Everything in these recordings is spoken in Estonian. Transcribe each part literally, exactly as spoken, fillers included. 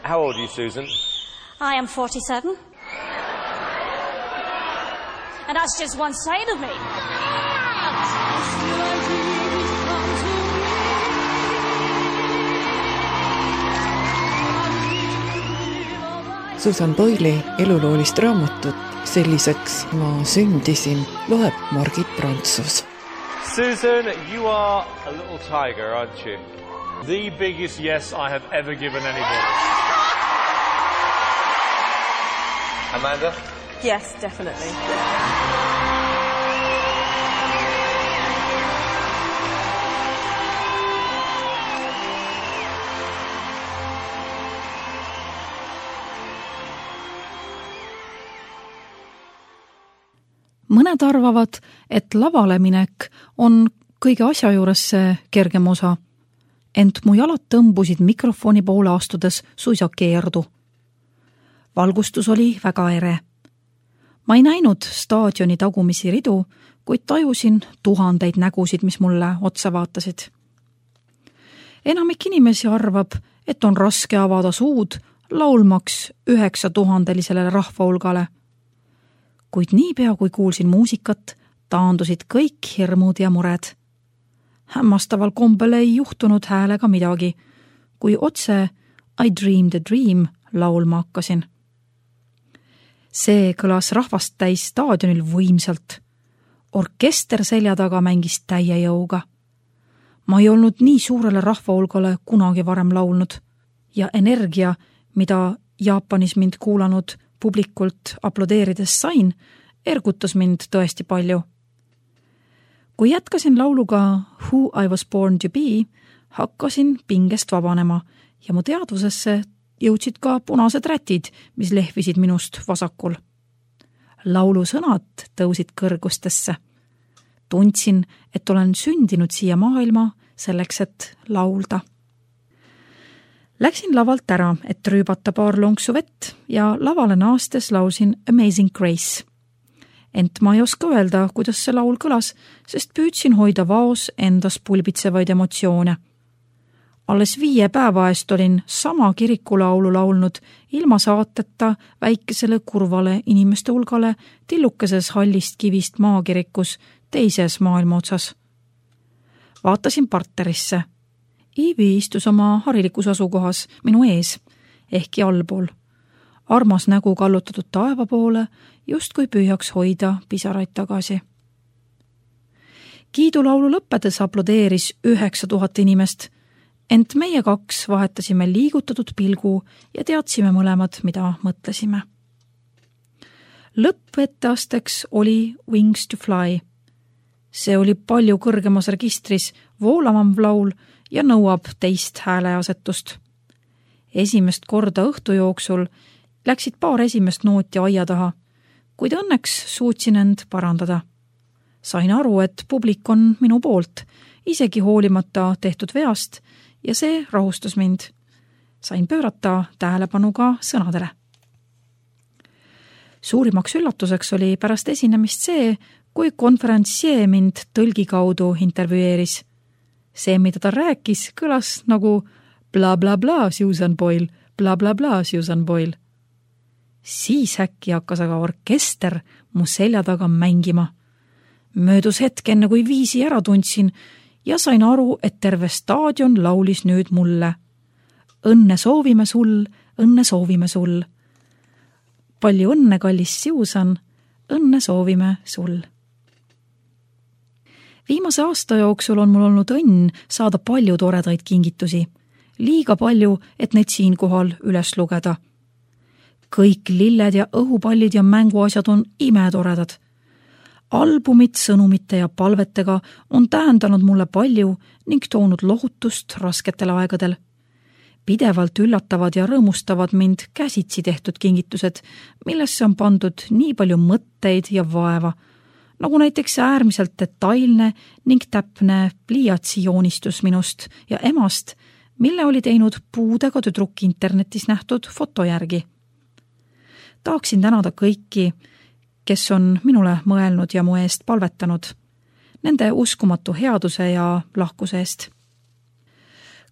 How old are you, Susan? I am forty-seven. And that's just one side of me. Susan Boyle'i eluloolist raamatut Selliseks ma sündisin loeb Margit Prantsus. Susan, you are a little tiger, aren't you? The biggest yes I have ever given anybody. Amanda? Yes, definitely. Mõned arvavad, et lavale minek on kõige asja juures see kergem osa, ent mu jalad tõmbusid mikrofoni poole astudes suisa keerdu. Valgustus oli väga ere. Ma ei näinud staadioni tagumisi ridu, kuid tajusin tuhandeid nägusid, mis mulle otsa vaatasid. Enamik inimesi arvab, et on raske avada suud laulmaks üheksa tuhandelisele rahvahulgale. Kuid niipea, kui kuulsin muusikat, taandusid kõik hirmud ja mured. Hämmastaval kombel ei juhtunud häälega midagi, kui otse I dreamed a dream laulma hakkasin. See kõlas rahvast täis staadionil võimsalt. Orkester selja taga mängis täie jõuga. Ma ei olnud nii suurele rahvahulgale kunagi varem laulnud ja energia, mida Jaapanis mind kuulanud publikult aplodeerides sain, ergutas mind tõesti palju. Kui jätkasin lauluga Who I was born to be, hakkasin pingest vabanema ja mu teadvusesse jõudsid ka punased rätid, mis lehvisid minust vasakul. Laulu sõnad tõusid kõrgustesse. Tundsin, et olen sündinud siia maailma selleks, et laulda. Läksin lavalt ära, et rüübata paar lonksu vett ja lavale naastes laulsin Amazing Grace. Ent ma ei oska öelda, kuidas see laul kõlas, sest püüdsin hoida vaos endas pulbitsevaid emotsioone. Alles viie päeva eest olin sama kirikulaulu laulnud ilma saateta väikesele kurvale inimeste hulgale tillukeses hallist kivist maakirikus teises maailma otsas. Vaatasin parterisse. Iivi istus oma harilikus asukohas minu ees, ehkki allpool. Armas nägu kallutatud taeva poole, just kui püüaks hoida pisaraid tagasi. Kiidulaulu lõppedes aplodeeris üheksa tuhat inimest, ent meie kaks vahetasime liigutatud pilgu ja teadsime mõlemad, mida mõtlesime. Lõppetteasteks oli Wings to Fly. See oli palju kõrgemas registris, voolavam laul ja nõuab teist hääleasetust. Esimest korda õhtu jooksul läksid paar esimest nooti aia taha, kuid õnneks suutsin end parandada. Sain aru, et publik on minu poolt, isegi hoolimata tehtud veast, ja see rahustas mind. Sain pöörata tähelepanu ka sõnadele. Suurimaks üllatuseks oli pärast esinemist see, kui konferentsee mind tõlgi kaudu intervjueeris. See, mida ta rääkis, kõlas nagu bla bla bla Susan Boyle, bla bla bla Susan Boyle. Siis äkki hakkas aga orkester mu selja taga mängima. Möödus hetk enne, kui viisi ära tundsin ja sain aru, et terve staadion laulis nüüd mulle. Õnne soovime sul, õnne soovime sul. Palju õnne, kallis Susan, õnne soovime sul. Viimase aasta jooksul on mul olnud õnn saada palju toredaid kingitusi. Liiga palju, et neid siinkohal üles lugeda. Kõik lilled ja õhupallid ja mänguasjad on imetoredad. Albumid sõnumite ja palvetega on tähendanud mulle palju ning toonud lohutust rasketel aegadel. Pidevalt üllatavad ja rõõmustavad mind käsitsi tehtud kingitused, millesse on pandud nii palju mõtteid ja vaeva, nagu näiteks äärmiselt detailne ning täpne pliiatsi joonistus minust ja emast, mille oli teinud puudega tüdruk internetis nähtud foto järgi. Tahaksin tänada kõiki, kes on minule mõelnud ja mu eest palvetanud, nende uskumatu headuse ja lahkuse eest.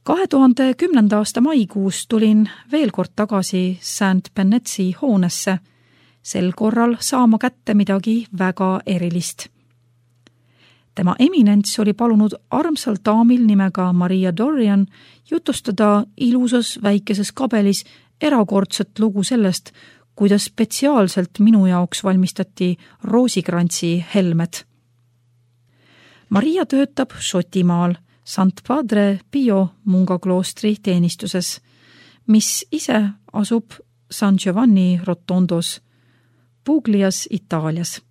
kahe tuhande kümnenda aasta maikuus tulin veel kord tagasi Saint Bennetsi hoonesse, sel korral saama kätte midagi väga erilist. Tema eminents oli palunud armsal daamil nimega Maria Dorian jutustada ilusas väikeses kabelis erakordset lugu sellest, kuidas spetsiaalselt minu jaoks valmistati roosikrantsi helmed. Maria töötab Šotimaal Sant Padre Pio Munga kloostri teenistuses, mis ise asub San Giovanni Rotondos, Puglias, Itaalias.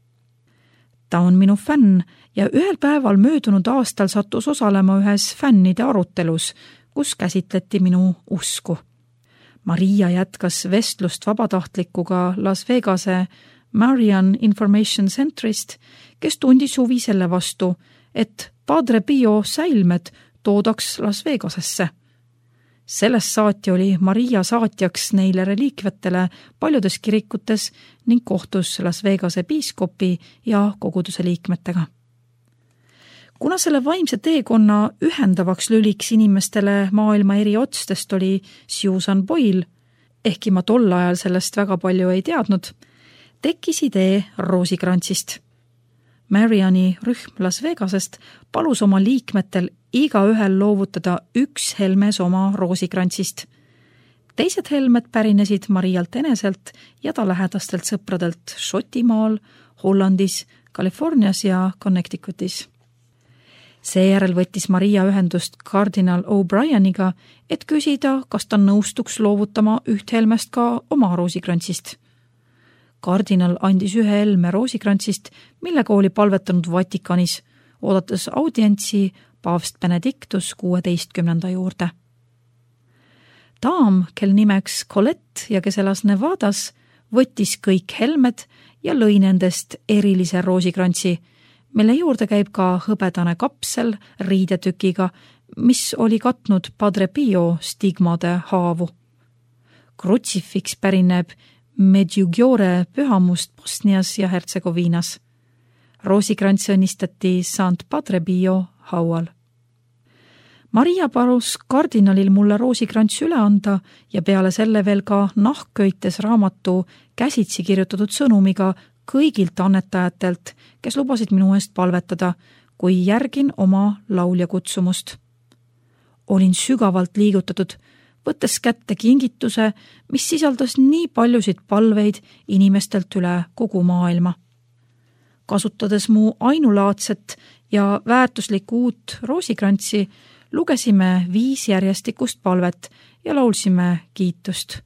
Ta on minu fänn ja ühel päeval möödunud aastal sattus osalema ühes fännide arutelus, kus käsitleti minu usku. Maria jätkas vestlust vabatahtlikuga Las Vegase Marian Information Centrist, kes tundis huvi selle vastu, et Padre Pio säilmed toodaks Las Vegasesse. Sellest saati oli Maria saatjaks neile reliikvetele paljudes kirikutes ning kohtus Las Vegase piiskopi ja koguduse liikmetega. Kuna selle vaimse teekonna ühendavaks lüliks inimestele maailma eri otstest oli Susan Boyle, ehkki ma tol ajal sellest väga palju ei teadnud, tekkis idee roosikrantsist. Mariani rühm Las Vegasest palus oma liikmetel iga ühel loovutada üks helmes oma roosikrantsist. Teised helmed pärinesid Marialt eneselt ja ta lähedastelt sõpradelt Šotimaal, Hollandis, Californias ja Connecticutis. Seejärel võttis Maria ühendust kardinal O'Brieniga, et küsida, kas ta nõustuks loovutama üht helmest ka oma roosikrantsist. Kardinal andis ühe helme roosikrantsist, millega oli palvetanud Vatikanis, oodates audientsi paavst Benedictus kuueteistkümnenda juurde. Daam, kel nimeks Colette ja kes elas Nevadas, võttis kõik helmed ja lõi nendest erilise roosikrantsi, mille juurde käib ka hõbedane kapsel riidetükiga, mis oli katnud Padre Pio stigmade haavu. Krutsifiks pärineb Medjugorje pühamust Bosnias ja Hertsegoviinas. Roosikrants õnnistati Sant Padre Pio haual. Maria palus kardinalil mulle roosikrants üle anda ja peale selle veel ka nahkköites raamatu käsitsi kirjutatud sõnumiga kõigilt annetajatelt, kes lubasid minu eest palvetada, kui järgin oma laulja kutsumust. Olin sügavalt liigutatud, võttes kätte kingituse, mis sisaldas nii paljusid palveid inimestelt üle kogu maailma. Kasutades mu ainulaadset ja väärtuslikku uut roosikrantsi, lugesime viis järjestikust palvet ja laulsime kiitust.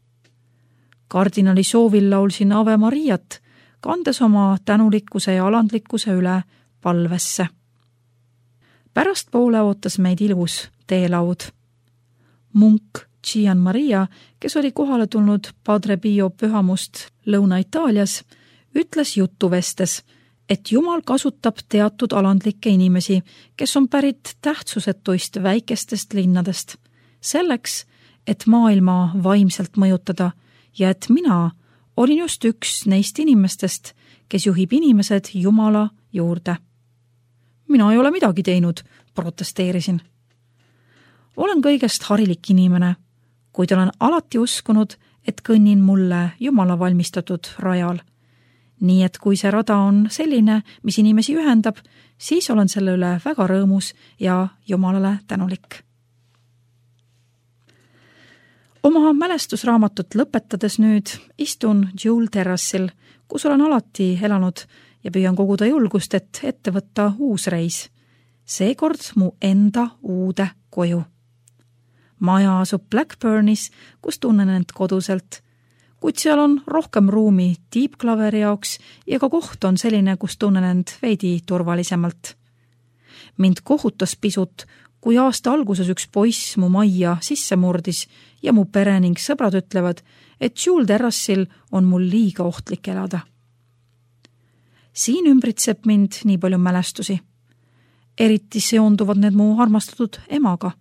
Kardinali soovil laulsin Ave Mariat, kandes oma tänulikkuse ja alandlikkuse üle palvesse. Pärastpoole ootas meid ilus teelaud. Munk Gian Maria, kes oli kohale tulnud Padre Pio pühamust Lõuna-Itaalias, ütles jutuvestes, et Jumal kasutab teatud alandlikke inimesi, kes on pärit tähtsusetuist väikestest linnadest, selleks, et maailma vaimselt mõjutada ja et mina olin just üks neist inimestest, kes juhib inimesed Jumala juurde. Mina ei ole midagi teinud, protesteerisin. Olen kõigest harilik inimene, kuid olen alati uskunud, et kõnnin mulle Jumala valmistatud rajal. Nii et kui see rada on selline, mis inimesi ühendab, siis olen selle üle väga rõõmus ja Jumalale tänulik. Oma mälestusraamatut lõpetades nüüd istun Jewel terrassil, kus olen alati elanud ja püüan koguda julgust, et ette võtta uus reis. Seekord mu enda uude koju. Maja asub Blackburnis, kus tunnen end koduselt, kuid seal on rohkem ruumi tiibklaveri jaoks ja ka koht on selline, kus tunnen end veidi turvalisemalt. Mind kohutas pisut, kui aasta alguses üks poiss mu majja sisse murdis ja mu pere ning sõbrad ütlevad, et Jewel terrassil on mul liiga ohtlik elada. Siin ümbritseb mind nii palju mälestusi. Eriti seonduvad need mu armastatud emaga.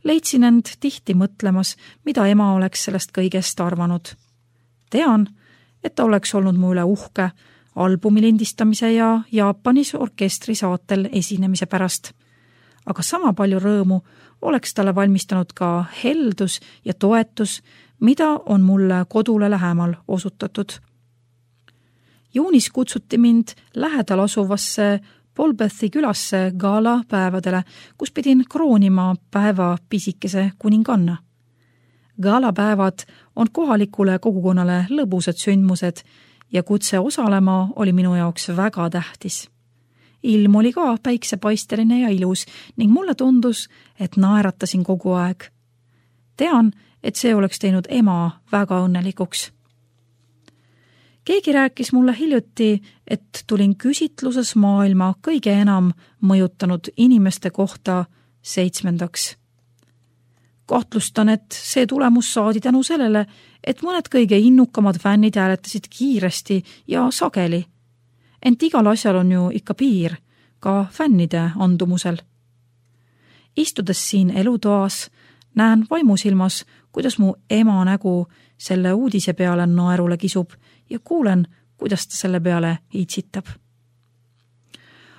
Leidsin end tihti mõtlemas, mida ema oleks sellest kõigest arvanud. Tean, et ta oleks olnud mu üle uhke albumi lindistamise ja Jaapanis orkestri saatel esinemise pärast. aga sama palju rõõmu oleks talle valmistanud ka heldus ja toetus, mida on mulle kodule lähemal osutatud. Juunis kutsuti mind lähedal asuvasse Polbethi külasse gala päevadele, kus pidin kroonima päeva pisikese kuninganna. Gala päevad on kohalikule kogukonnale lõbusad sündmused ja kutse osalema oli minu jaoks väga tähtis. Ilm oli ka päiksepaisteline ja ilus ning mulle tundus, et naeratasin kogu aeg. Tean, et see oleks teinud ema väga õnnelikuks. Keegi rääkis mulle hiljuti, et tulin küsitluses maailma kõige enam mõjutanud inimeste kohta seitsmendaks. Kahtlustan, et see tulemus saadi tänu sellele, et mõned kõige innukamad fännid hääletasid kiiresti ja sageli. Ent igal asjal on ju ikka piir, ka fännide andumusel. Istudes siin elutoas, näen vaimusilmas, kuidas mu ema nägu selle uudise peale naerule kisub ja kuulen, kuidas ta selle peale itsitab.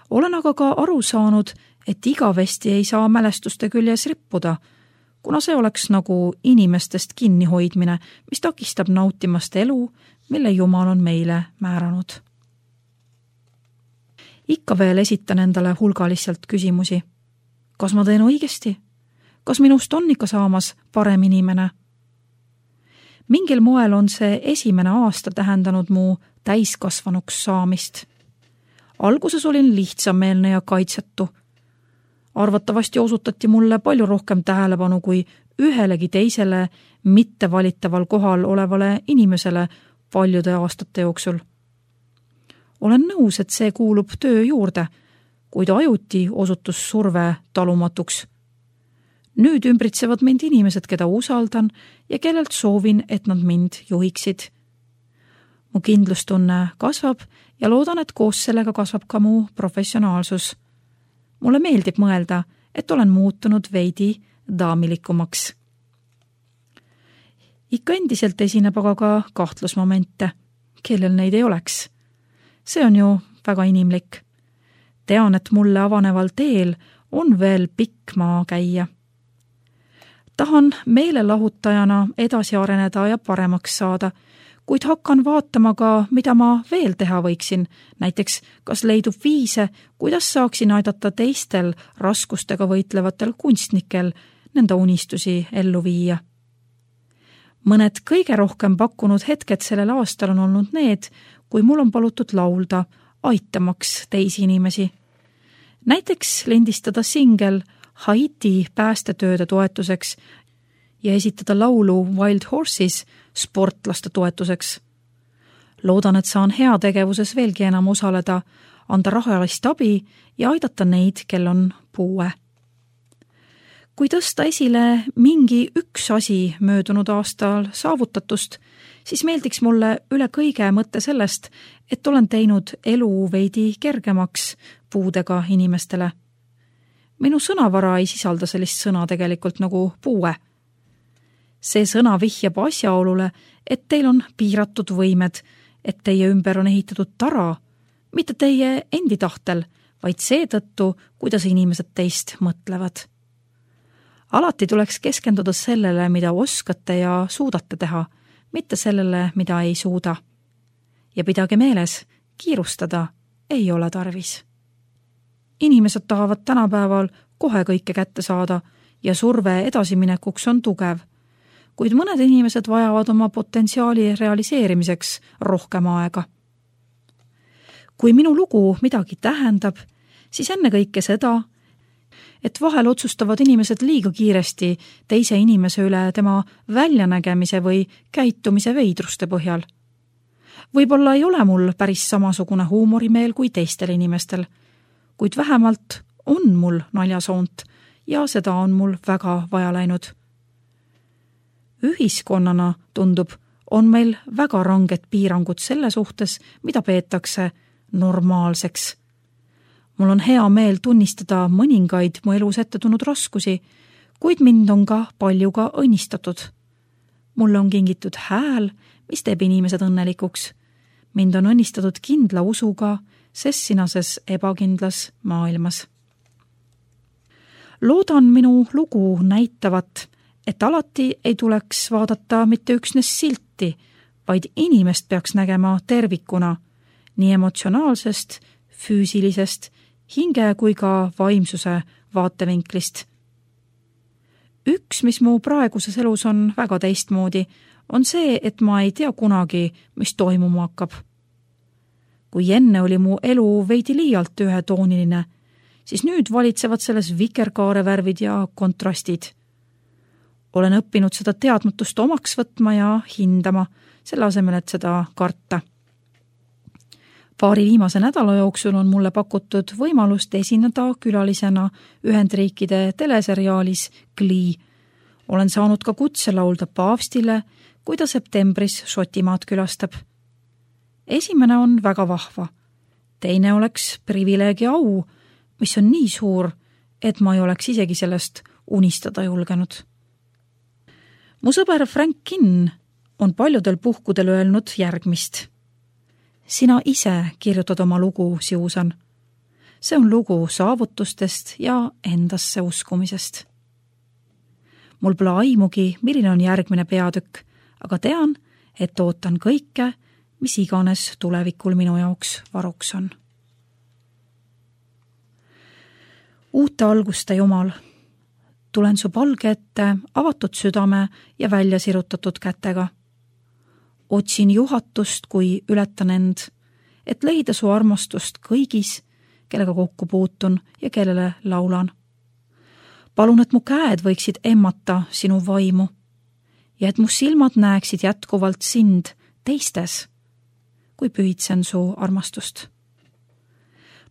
Olen aga ka aru saanud, et igavesti ei saa mälestuste küljes rippuda, kuna see oleks nagu inimestest kinnihoidmine, mis takistab nautimast elu, mille Jumal on meile määranud. Ikka veel esitan endale hulgaliselt küsimusi. Kas ma teen õigesti? Kas minust on ikka saamas parem inimene? Mingil moel on see esimene aasta tähendanud mu täiskasvanuks saamist. Alguses olin lihtsameelne ja kaitsetu. Arvatavasti osutati mulle palju rohkem tähelepanu kui ühelegi teisele mittevalitataval kohal olevale inimesele paljude aastate jooksul. Olen nõus, et see kuulub töö juurde, kuid ajuti osutus surve talumatuks. Nüüd ümbritsevad mind inimesed, keda usaldan ja kellelt soovin, et nad mind juhiksid. Mu kindlustunne kasvab ja loodan, et koos sellega kasvab ka mu professionaalsus. Mulle meeldib mõelda, et olen muutunud veidi daamilikumaks. Ikka endiselt esineb aga ka kahtlusmomente, kellel neid ei oleks. See on ju väga inimlik. Tean, et mulle avaneval teel on veel pikk maa käia. Tahan meelelahutajana edasi areneda ja paremaks saada, kuid hakkan vaatama ka, mida ma veel teha võiksin, näiteks kas leidub viise, kuidas saaksin aidata teistel raskustega võitlevatel kunstnikel nende unistusi ellu viia. Mõned kõige rohkem pakkunud hetked sellel aastal on olnud need, kui mul on palutud laulda, aitamaks teisi inimesi. Näiteks lindistada singel Haiti päästetööde toetuseks ja esitada laulu Wild Horses sportlaste toetuseks. Loodan, et saan heategevuses veelgi enam osaleda, anda rahalist abi ja aidata neid, kel on puue. Kui tõsta esile mingi üks asi möödunud aastal saavutatust, siis meeldiks mulle üle kõige mõtte sellest, et olen teinud elu veidi kergemaks puudega inimestele. Minu sõnavara ei sisalda sellist sõna tegelikult nagu puue. See sõna vihjab asjaolule, et teil on piiratud võimed, et teie ümber on ehitatud tara, mitte teie endi tahtel, vaid seetõttu, kuidas inimesed teist mõtlevad. Alati tuleks keskenduda sellele, mida oskate ja suudate teha, mitte sellele, mida ei suuda. Ja pidage meeles, kiirustada ei ole tarvis. Inimesed tahavad tänapäeval kohe kõike kätte saada ja surve edasiminekuks on tugev, kuid mõned inimesed vajavad oma potentsiaali realiseerimiseks rohkem aega. Kui minu lugu midagi tähendab, siis enne kõike seda, et vahel otsustavad inimesed liiga kiiresti teise inimese üle tema väljanägemise või käitumise veidruste põhjal. Võib-olla ei ole mul päris samasugune huumorimeel kui teistel inimestel, kuid vähemalt on mul naljasoont ja seda on mul väga vaja läinud. Ühiskonnana tundub, on meil väga ranged piirangud selle suhtes, mida peetakse normaalseks. Mul on hea meel tunnistada mõningaid mu elus ette tulnud raskusi, kuid mind on ka palju ka õnnistatud. Mulle on kingitud hääl, mis teeb inimesed õnnelikuks. Mind on õnnistatud kindla usuga sessinases ebakindlas maailmas. Loodan minu lugu näitavat, et alati ei tuleks vaadata mitte üksnes silti, vaid inimest peaks nägema tervikuna, nii emotsionaalsest, füüsilisest, hinge kui ka vaimsuse vaatevinklist. Üks, mis mu praeguses elus on väga teistmoodi, on see, et ma ei tea kunagi, mis toimuma hakkab. Kui enne oli mu elu veidi liialt ühetooniline, siis nüüd valitsevad selles vikerkaarevärvid ja kontrastid. Olen õppinud seda teadmatust omaks võtma ja hindama, selle asemel, et seda karta. Paari viimase nädala jooksul on mulle pakutud võimalust esineda külalisena Ühendriikide teleseriaalis Glee. Olen saanud ka kutse laulda paavstile, kui ta septembris Šotimaad külastab. Esimene on väga vahva. Teine oleks privileegi au, mis on nii suur, et ma ei oleks isegi sellest unistada julgenud. Mu sõber Frank Kinn on paljudel puhkudel öelnud järgmist. Sina ise kirjutad oma lugu, Siusan. See on lugu saavutustest ja endasse uskumisest. Mul pole aimugi, milline on järgmine peatükk, aga tean, et ootan kõike, mis iganes tulevikul minu jaoks varuks on. Uute alguste Jumal, tulen su palge ette avatud südame ja välja sirutatud kätega. Otsin juhatust, kui ületan end, et leida su armastust kõigis, kellega kokku puutun ja kellele laulan. Palun, et mu käed võiksid emmata sinu vaimu ja et mu silmad näeksid jätkuvalt sind teistes, kui pühitsen su armastust.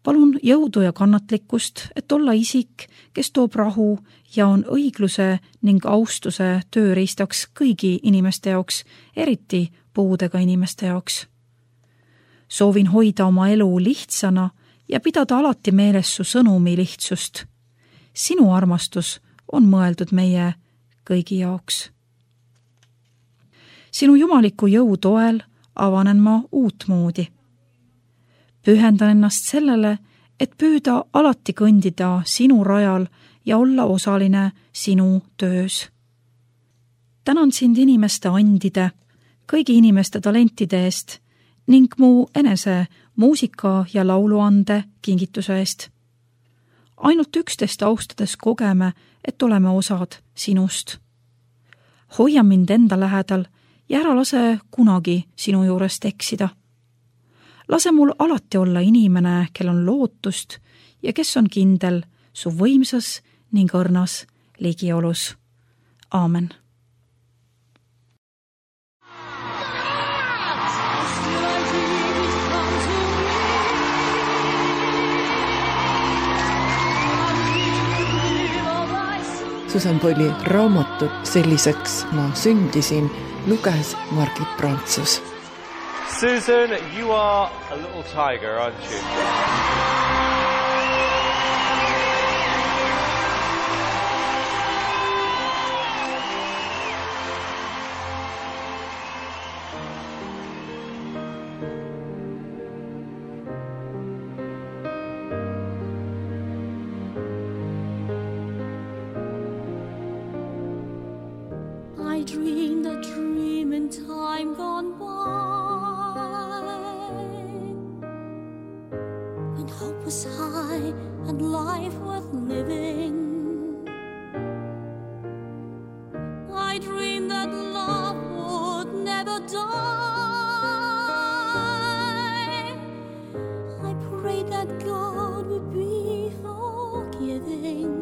Palun jõudu ja kannatlikkust, et olla isik, kes toob rahu ja on õigluse ning austuse tööriistaks kõigi inimeste jaoks, eriti puudega inimeste jaoks. Soovin hoida oma elu lihtsana ja pidada alati meeles su sõnumi lihtsust. Sinu armastus on mõeldud meie kõigi jaoks. Sinu jumaliku jõu toel avanen ma uut moodi. Pühendan ennast sellele, et püüda alati kõndida sinu rajal ja olla osaline sinu töös. Tänan sind inimeste andide, kõigi inimeste talentide eest ning mu enese muusika ja lauluande kingituse eest. Ainult üksteist austades kogeme, et oleme osad sinust. Hoia mind enda lähedal ja ära lase kunagi sinu juurest eksida. Lase mul alati olla inimene, kel on lootust ja kes on kindel su võimsas ning õrnas ligiolus. Aamen. Susan Boyle'i raamatut Selliseks ma sündisin luges Margit Prantsus. Susan, you are a little tiger, aren't you? I dreamed a dream in time gone by, when hope was high and life worth living. I dreamed that love would never die. I prayed that God would be forgiving.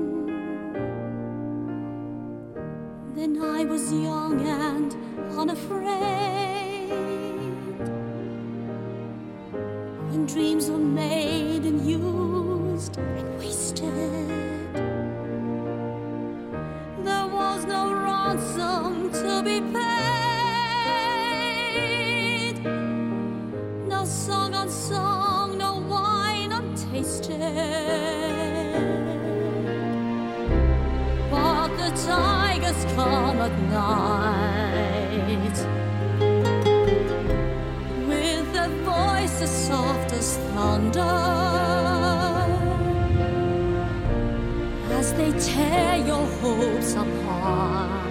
Then I was young and unafraid, when dreams were made and used and wasted. There was no ransom to be paid, no song unsung, no wine untasted. But the tigers come at night, with their voices soft as thunder, as as they tear your hopes apart.